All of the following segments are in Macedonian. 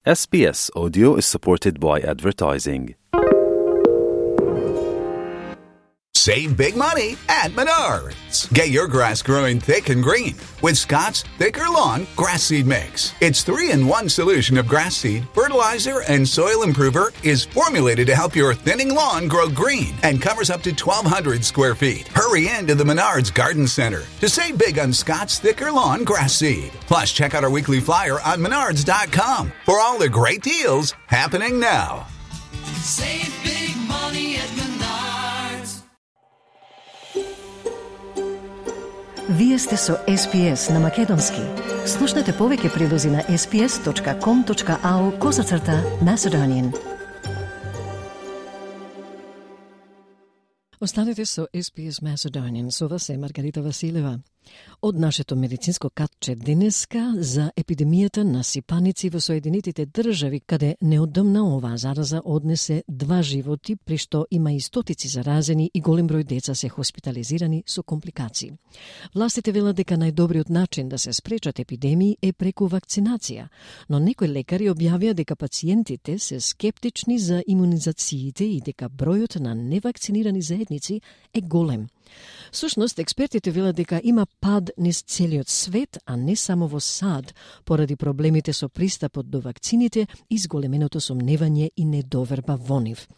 SBS Audio is supported by advertising. Save big money at Menards. Get your grass growing thick and green with Scott's Thicker Lawn Grass Seed Mix. Its 3-in-1 solution of grass seed, fertilizer, and soil improver is formulated to help your thinning lawn grow green and covers up to 1,200 square feet. Hurry into the Menards Garden Center to save big on Scott's Thicker Lawn Grass Seed. Plus, check out our weekly flyer on Menards.com for all the great deals happening now. Save big money at Menards. Вие сте со SPS на Македонски. Слушнете повеќе прилози на sps.com.au/Macedonian. Останете со SPS Macedonian, со вас е Маргарита Василева. Од нашето медицинско катче денеска за епидемијата на сипаници во Соединетите држави, каде неодамна оваа зараза однесе 2 животи, при што има и стотици заразени и голем број деца се хоспитализирани со компликации. Властите велат дека најдобриот начин да се спречат епидемии е преку вакцинација, но некои лекари објавија дека пациентите се скептични за имунизациите и дека бројот на невакцинирани заедници е голем. Сушност, експертите велат дека има пад низ целиот свет, а не само во САД, поради проблемите со пристапот до вакцините и зголеменото сомневање и недоверба во нив.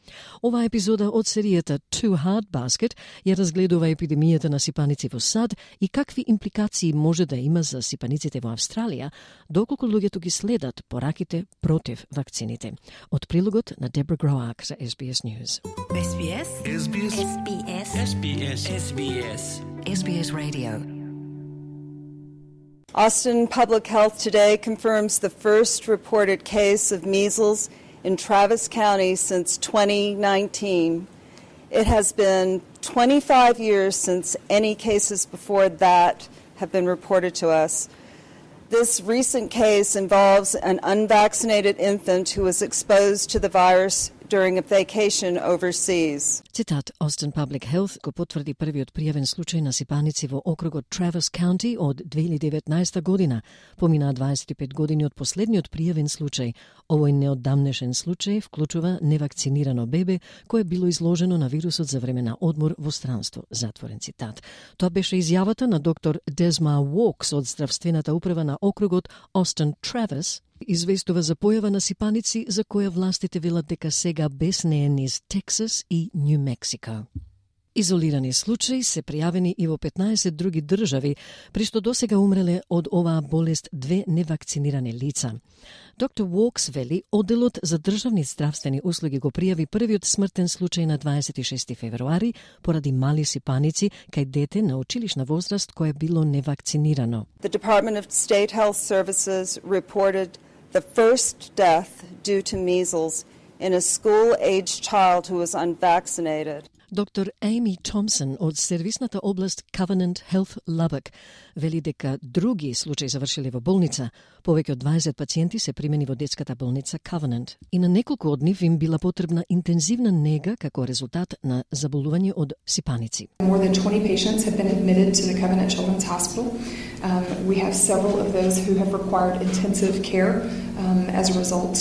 Оваа епизода од серијата Too Hard Basket ја разгледува епидемијата на сипаници во САД и какви импликации може да има за сипаниците во Австралија, доколку луѓето ги следат пораките против вакцините. Од прилогот на Дебра Гроак за SBS News. SBS. SBS. SBS. SBS. SBS. SBS Radio. Austin Public Health today confirms the first reported case of measles in Travis County since 2019. It has been 25 years since any cases before that have been reported to us. This recent case involves an unvaccinated infant who was exposed to the virus during a vacation overseas. Цитат, Austin Public Health го потврди првиот пријавен случај на сипаници во округот Travis County од 2019 година. Поминаа 25 години од последниот пријавен случај. Овој неоддамнешен случај вклучува невакцинирано бебе кое било изложено на вирусот за време на одмор во странство. Затворен цитат. Тоа беше изјавата на доктор Desma Walks од здравствената управа на округот Austin Travis, известува за појава на сипаници за која властите велат дека сега беснее низ Тексас и Нью Мексико. Изолирани случаи се пријавени и во 15 други држави, при што досега умреле од оваа болест 2 невакцинирани лица. Доктор Уокс вели, одделот за државни здравствени услуги го пријави првиот смртен случај на 26 февруари поради мали сипаници кај дете на училишна возраст кое било невакцинирано. The Department of State Health Services reported the first death due to measles in a school-aged child who was unvaccinated. Доктор Amy Thompson од сервисната област Covenant Health Lubbock вели дека други случаи завршиле во болница. Повеќе од 20 пациенти се примени во детската болница Covenant и на неколку од нив им била потребна интензивна нега како резултат на заболување од сипаници. More than 20 patients have been admitted to the Covenant Children's Hospital. We have several of those who have required intensive care as a result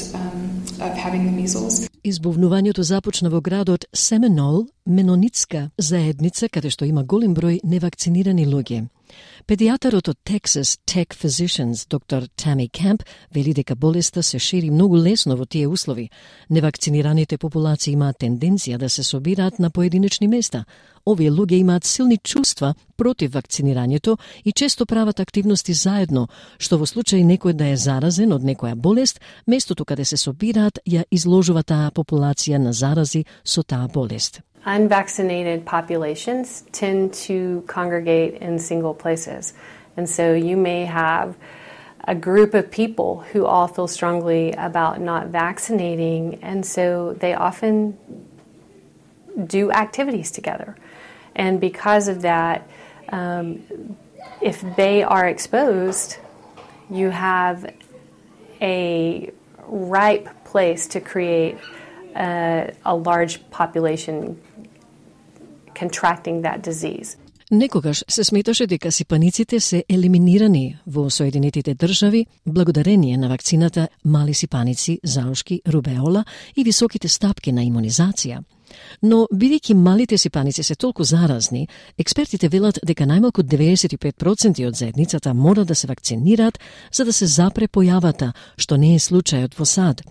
of having the measles. Избувнувањето започна во градот Семенол, менонитска заедница каде што има голем број невакцинирани луѓе. Педијатарот од Texas Tech Physicians, доктор Tammy Camp, вели дека болеста се шири многу лесно во тие услови. Невакцинираните популации имаат тенденција да се собираат на поединечни места. Овие луѓе имаат силни чувства против вакцинирањето и често прават активности заедно, што во случај некој да е заразен од некоја болест, местото каде се собираат ја изложува таа популација на зарази со таа болест. Unvaccinated populations tend to congregate in single places. And so you may have a group of people who all feel strongly about not vaccinating, and so they often do activities together. And because of that, if they are exposed, you have a ripe place to create a large population contracting that disease. Некогаш се сметаше дека сипаниците се елиминирани во Соединетите држави благодарение на вакцината мали сипаници, заушки, рубеола и високите стапки на имунизација. Но, бидејќи малите сипаници се толку заразни, експертите велат дека најмалку 95% од заедницата мора да се вакцинираат за да се запре појавата, што не е случајот во САД.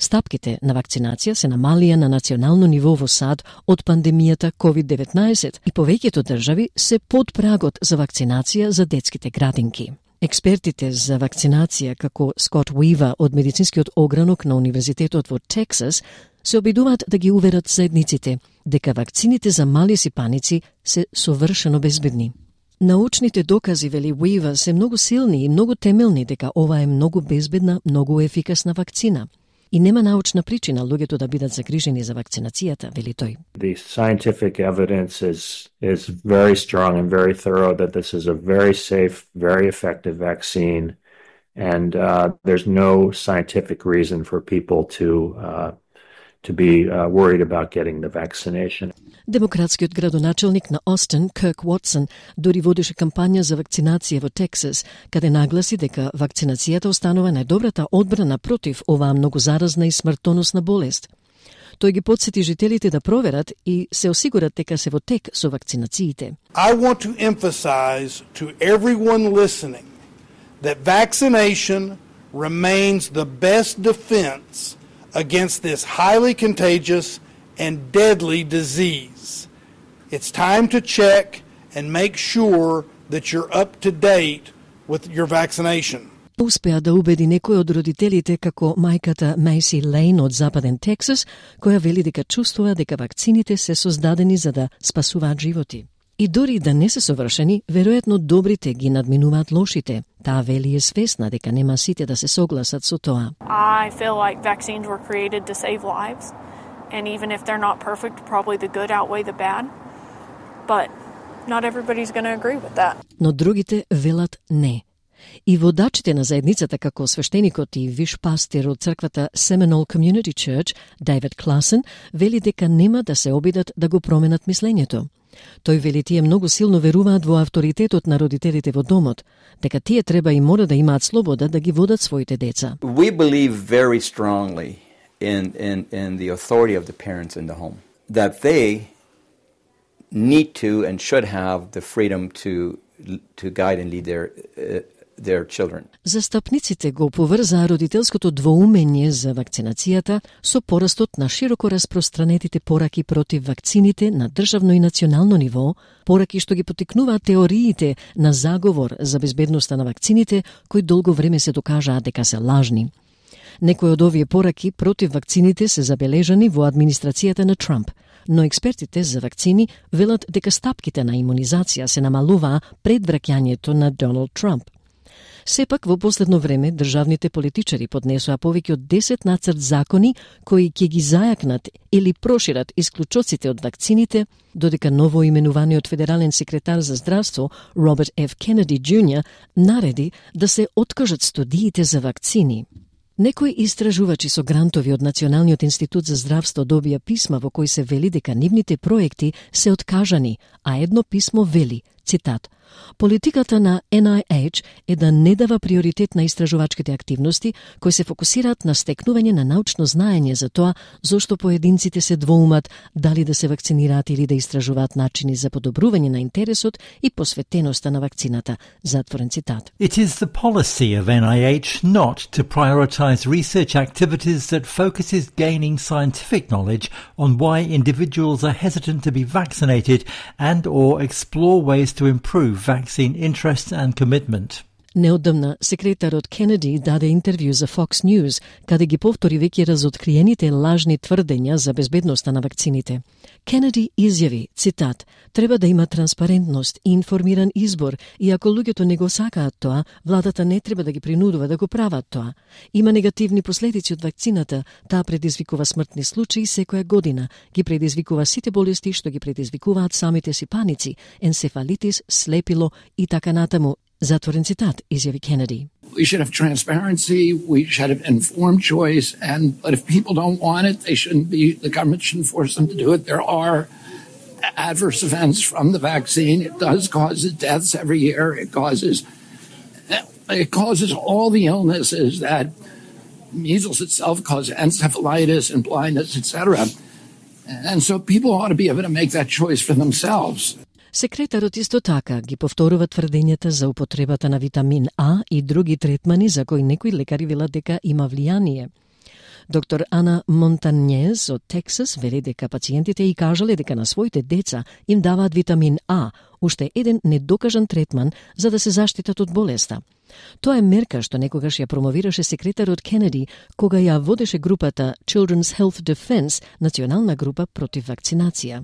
Стапките на вакцинација се намалија на национално ниво во САД од пандемијата COVID-19 и повеќето држави се под прагот за вакцинација за детските градинки. Експертите за вакцинација, како Скот Уива од медицинскиот огранок на Универзитетот во Тексас, се обидуваат да ги уверат заедниците дека вакцините за мали сипаници се совршено безбедни. Научните докази, вели Уива, се многу силни и многу темелни дека ова е многу безбедна, многу ефикасна вакцина. И нема научна причина луѓето да бидат загрижени за вакцинацијата, вели тој. The scientific evidence is very strong and very thorough that this is a very safe, very effective vaccine, and there's no scientific reason for people to be worried about getting the vaccination. Демократскиот градоначелник на Остин, Кирк Уотсон, дури водеше кампања за вакцинација во Тексас, каде нагласи дека вакцинацијата останува најдобрата одбрана против оваа многу заразна и смртоносна болест. Тој ги потсети жителите да проверат и се осигурат дека се во тек со вакцинациите. I want to emphasize to everyone listening that vaccination remains the best defense against this highly contagious and deadly disease. It's time to check and make sure that you're up to date with your vaccination. Успеа да убеди некој од родителите како мајката Мейси Лейн од Западен Тексас, која вели дека чувствува дека вакцините се создадени за да спасуваат животи. И дори да не се совршени, веројатно добрите ги надминуваат лошите. Таа вели е свесна дека нема сите да се согласат со тоа. I feel like vaccines were created to save lives, and even if they're not perfect, probably the good outweigh the bad. But not everybody's going to agree with that. Но другите велат не. И водачите на заедницата како свештеникот и виш пастир од црквата Seminole Community Church, Дейвид Класен, вели дека нема да се обидат да го променат мислењето. Тој вели тие многу силно веруваат во авторитетот на родителите во домот, дека тие треба и мора да имаат слобода да ги водат своите деца. We believe very strongly in the authority of the parents in the home, that they need to and should have the freedom to guide and lead their children. Застапниците го поврзаа родителското двоумење за вакцинацијата со порастот на широко распространетите пораки против вакцините на државно и национално ниво, пораки што ги потикнуваат теориите на заговор за безбедноста на вакцините, кои долго време се докажаа дека се лажни. Некои од овие пораки против вакцините се забележани во администрацијата на Трамп, но експертите за вакцини велат дека стапките на имунизација се намалуваа пред враќањето на Доналд Трамп. Сепак, во последно време, државните политичари поднесоа повеќе од 10 нацрт закони кои ќе ги зајакнат или прошират исклучоците од вакцините, додека ново именуваниот федерален секретар за здравство Роберт Ф. Кенеди Џ. нареди да се откажат студиите за вакцини. Некои истражувачи со грантови од Националниот институт за здравство добија писма во кои се вели дека нивните проекти се откажани, а едно писмо вели, цитат, политиката на NIH е да не дава приоритет на истражувачките активности кои се фокусираат на стекнување на научно знаење за тоа зошто поединците се двоумат дали да се вакцинираат или да истражуваат начини за подобрување на интересот и посветеноста на вакцината, затворен цитат. It is the policy of NIH not to prioritize research activities that focuses gaining scientific knowledge on why individuals are hesitant to be vaccinated and or explore ways to improve vaccine interest and commitment. Неодамна, секретарот Кенеди даде интервју за Fox News, каде ги повтори веќе разоткриените лажни тврдења за безбедноста на вакцините. Кенеди изјави, цитат, треба да има транспарентност и информиран избор и ако луѓето не го сакаат тоа, владата не треба да ги принудува да го прават тоа. Има негативни последици од вакцината, таа предизвикува смртни случаи секоја година, ги предизвикува сите болести што ги предизвикуваат самите сипаници, енцефалитис, слепило и така натаму. Затворен цитат, изјави Кенеди. We should have transparency, we should have informed choice, but if people don't want it, they shouldn't be, the government shouldn't force them to do it. There are adverse events from the vaccine. It does cause deaths every year. It causes all the illnesses that measles itself causes, encephalitis and blindness, etc. And so people ought to be able to make that choice for themselves. Секретарот исто така ги повторува тврдењата за употребата на витамин А и други третмани за кои некои лекари велат дека има влијание. Доктор Ана Монтанјез од Тексас вели дека пациентите и кажале дека на своите деца им даваат витамин А, уште еден недокажан третман за да се заштитат од болеста. Тоа е мерка што некогаш ја промовираше секретарот Кенеди кога ја водеше групата Children's Health Defense, национална група против вакцинација.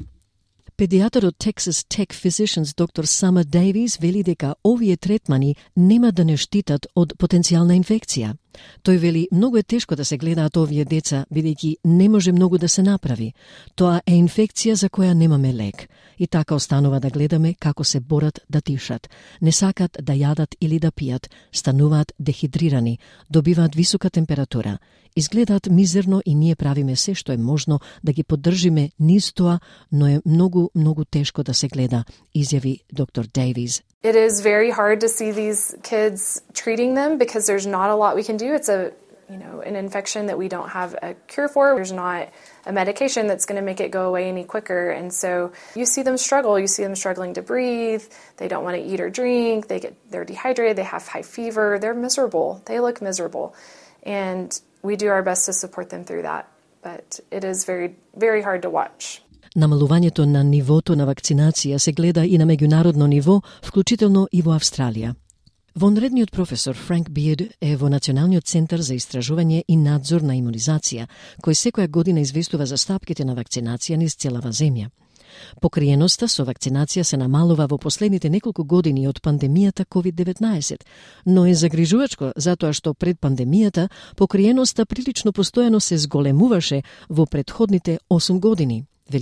Педијатар од Texas Tech Physicians доктор Сама Дейвис вели дека овие третмани нема да не штитат од потенцијална инфекција. Тој вели многу е тешко да се гледаат овие деца, бидејќи не може многу да се направи. Тоа е инфекција за која немаме лек. И така останува да гледаме како се борат да дишат. Не сакат да јадат или да пијат, стануваат дехидрирани, добиваат висока температура. Изгледаат мизерно и ние правиме се што е можно да ги поддржиме низ тоа, но е многу тешко да се гледа, изјави доктор Дейвис. It is very hard to see these kids treating them because there's not a lot we can do. It's an infection that we don't have a cure for. There's not a medication that's going to make it go away any quicker. And so you see them struggle. You see them struggling to breathe. They don't want to eat or drink. They're dehydrated. They have high fever. They're miserable. They look miserable. And we do our best to support them through that. But it is very, very hard to watch. Намалувањето на нивото на вакцинација се гледа и на меѓународно ниво, вклучително и во Австралија. Вонредниот професор Франк Бирд е во Националниот центар за истражување и надзор на имунизација, кој секоја година известува за стапките на вакцинација низ целава земја. Покриеноста со вакцинација се намалува во последните неколку години од пандемијата COVID-19, но е загрижувачко затоа што пред пандемијата покриеноста прилично постојано се зголемуваше во претходните 8 години. The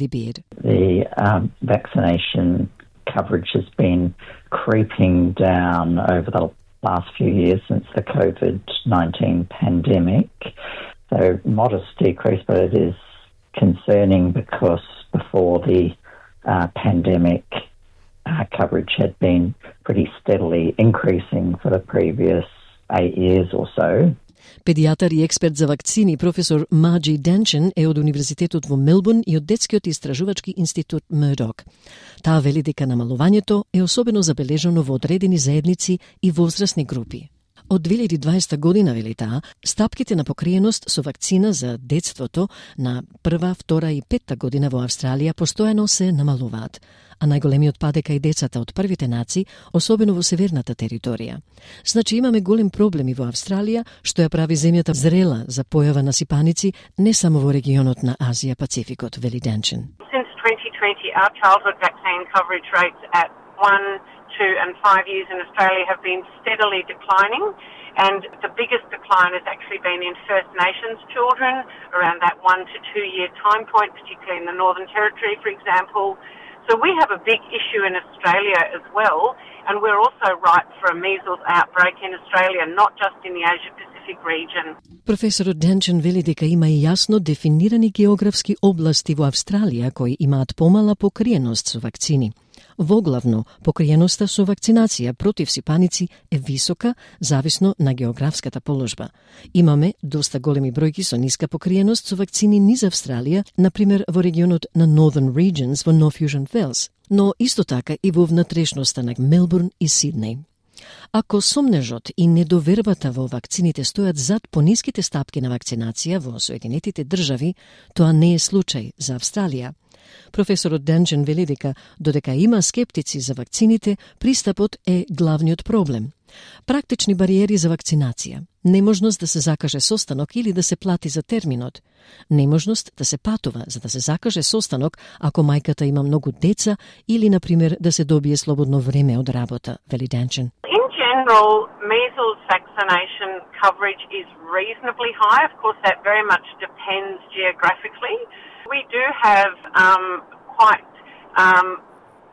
vaccination coverage has been creeping down over the last few years since the COVID-19 pandemic. So modest decrease, but it is concerning because before the pandemic coverage had been pretty steadily increasing for the previous 8 years or so. Педијатар и експерт за вакцини професор Маджи Денчен е од Универзитетот во Мелбурн и од Детскиот истражувачки институт Мурдок. Таа вели дека намалувањето е особено забележано во одредени заедници и возрастни групи. Од 2020 година, вели таа, стапките на покриеност со вакцина за детството на прва, втора и петта година во Австралија постојано се намалуваат, а најголемиот пад е кај децата од првите нации, особено во северната територија. Значи имаме голем проблеми во Австралија, што ја прави земјата зрела за појава на сипаници не само во регионот на Азија Пацификот, вели Денчен. Since 2020, our childhood vaccine coverage rates at 1, 2 and 5 years in Australia have been steadily declining, and the biggest decline has actually been in First Nations children around that 1 to 2 year time point, particularly in the Northern Territory, for example. So we have a big issue in Australia as well, and we're also ripe for a measles outbreak in Australia, not just in the Asia-Pacific region. Професорот Денчен вели дека има и јасно дефинирани географски области во Австралија кои имаат помала покриеност со вакцини. Воглавно, покриеноста со вакцинација против сипаници е висока, зависно на географската положба. Имаме доста големи бројки со ниска покриеност со вакцини низ Австралија, например во регионот на Northern Regions во North Fusion Fells, но исто така и во внатрешноста на Мелбурн и Сиднеј. Ако сомнежот и недовербата во вакцините стојат зад пониските стапки на вакцинација во Соединетите држави, тоа не е случај за Австралија. Професорот Денчен вели дека додека има скептици за вакцините, пристапот е главниот проблем. Практични бариери за вакцинација, неможност да се закаже состанок или да се плати за терминот, неможност да се патува за да се закаже состанок ако мајката има многу деца или, например, да се добие слободно време од работа, вели Денчен. In general, measles vaccination coverage is reasonably high. Of course, that very much depends geographically. We do have quite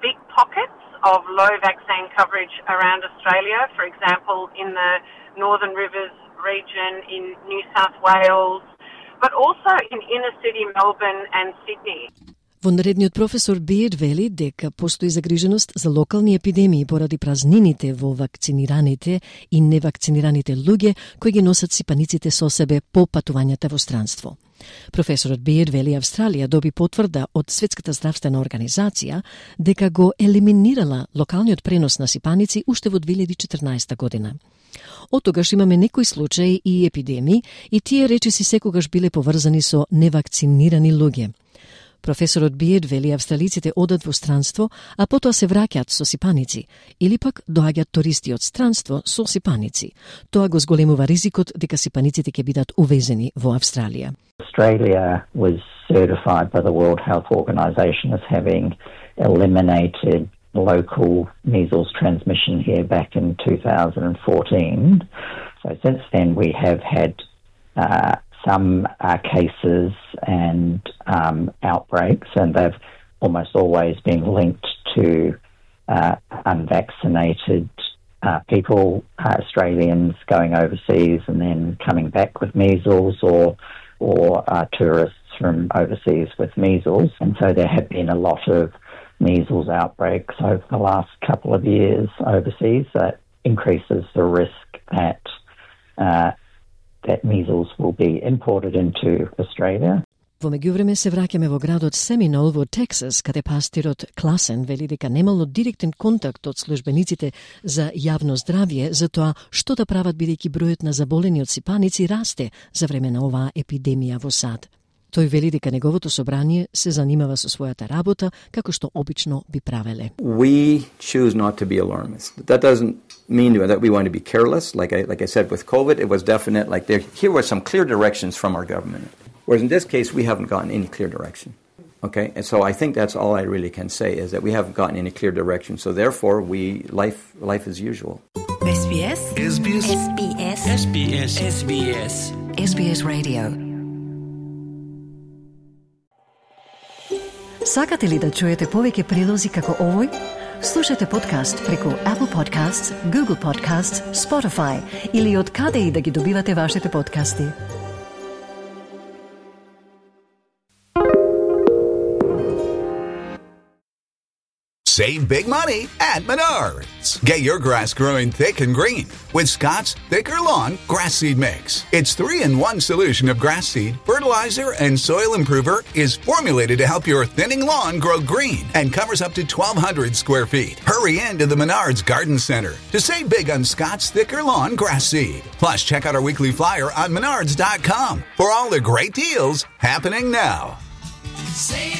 big pockets of low vaccine coverage around Australia, for example, in the Northern Rivers region in New South Wales, but also in inner city Melbourne and Sydney. Вонредниот професор Бејд вели дека постои загриженост за локални епидемии поради празнините во вакцинираните и невакцинираните луѓе кои ги носат сипаниците со себе по патувањата во странство. Професорот Бејд вели Австралија доби потврда од Светската здравствена организација дека го елиминирала локалниот пренос на сипаници уште во 2014 година. Од тогаш имаме некои случаи и епидемии и тие речиси секогаш биле поврзани со невакцинирани луѓе. Професорот Бејд вели австралиците одат во странство, а потоа се враќаат со сипаници, или пак доаѓаат туристи од странство со сипаници. Тоа го зголемува ризикот дека сипаниците ќе бидат увезени во Австралија. Australia was certified by the World Health Organization as having eliminated local measles transmission here back in 2014. So since then we have had some cases and outbreaks, and they've almost always been linked to unvaccinated people, Australians going overseas and then coming back with measles, or tourists from overseas with measles. And so there have been a lot of measles outbreaks over the last couple of years overseas. That increases the risk that measles will be imported into Australia. Во меѓувреме се враќаме во градот Семинол во Тексас, каде пастирот Класен вели дека немало директен контакт од службениците за јавно здравје за тоа што да прават бидејќи бројот на заболени од сипаници расте за време на оваа епидемија во САД. Тој вели дека неговото собрание се занимава со својата работа како што обично би правеле. We choose not to be alarmist. That doesn't mean that we want to be careless. Like I said with COVID, it was definite. Here were some clear directions from our government. Whereas in this case, we haven't gotten any clear direction. Okay, and so I think that's all I really can say is that we haven't gotten any clear direction. So therefore, life as usual. SBS. SBS. SBS. SBS. SBS. SBS Radio. Сакате ли да чуете повеќе прилози како овој? Слушате подкаст преку Apple Podcasts, Google Podcasts, Spotify или од каде и да ги добивате вашите подкасти. Save big money at Menards. Get your grass growing thick and green with Scott's Thicker Lawn Grass Seed Mix. Its 3-in-1 solution of grass seed, fertilizer, and soil improver is formulated to help your thinning lawn grow green and covers up to 1,200 square feet. Hurry into the Menards Garden Center to save big on Scott's Thicker Lawn Grass Seed. Plus, check out our weekly flyer on Menards.com for all the great deals happening now. Save